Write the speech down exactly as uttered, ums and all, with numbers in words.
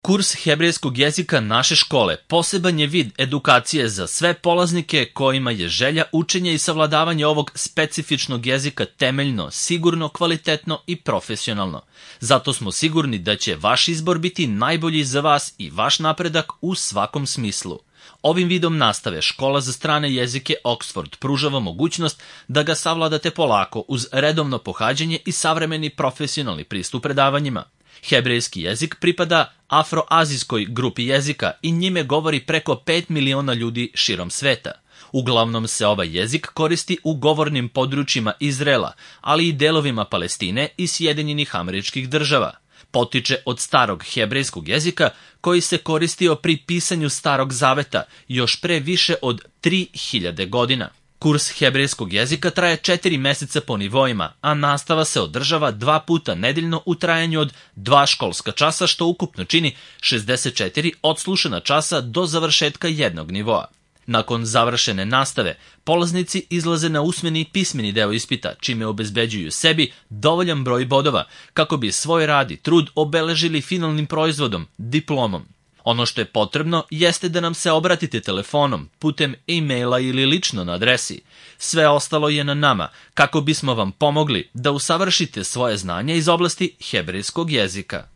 Kurs hebrejskog jezika naše škole poseban je vid edukacije za sve polaznike kojima je želja učenja i savladavanje ovog specifičnog jezika temeljno, sigurno, kvalitetno i profesionalno. Zato smo sigurni da će vaš izbor biti najbolji za vas i vaš napredak u svakom smislu. Ovim vidom nastave Škola za strane jezike Oxford pružava mogućnost da ga savladate polako uz redovno pohađanje i savremeni profesionalni pristup predavanjima. Hebrejski jezik pripada afroazijskoj grupi jezika i njime govori preko pet miliona ljudi širom sveta. Uglavnom se ovaj jezik koristi u govornim područjima Izraela, ali i delovima Palestine i Sjedinjenih Američkih Država. Potiče od starog hebrejskog jezika koji se koristio pri pisanju Starog Zaveta još pre više od tri hiljade godina. Kurs hebrejskog jezika traje četiri meseca po nivoima, a nastava se održava dva puta nedeljno u trajanju od dva školska časa, što ukupno čini šezdeset četiri odslušana časa do završetka jednog nivoa. Nakon završene nastave, polaznici izlaze na usmeni i pismeni deo ispita, čime obezbeđuju sebi dovoljan broj bodova, kako bi svoj rad i trud obeležili finalnim proizvodom, diplomom. Ono što je potrebno jeste da nam se obratite telefonom, putem e-maila ili lično na adresi. Sve ostalo je na nama, kako bismo vam pomogli da usavršite svoje znanje iz oblasti hebrejskog jezika.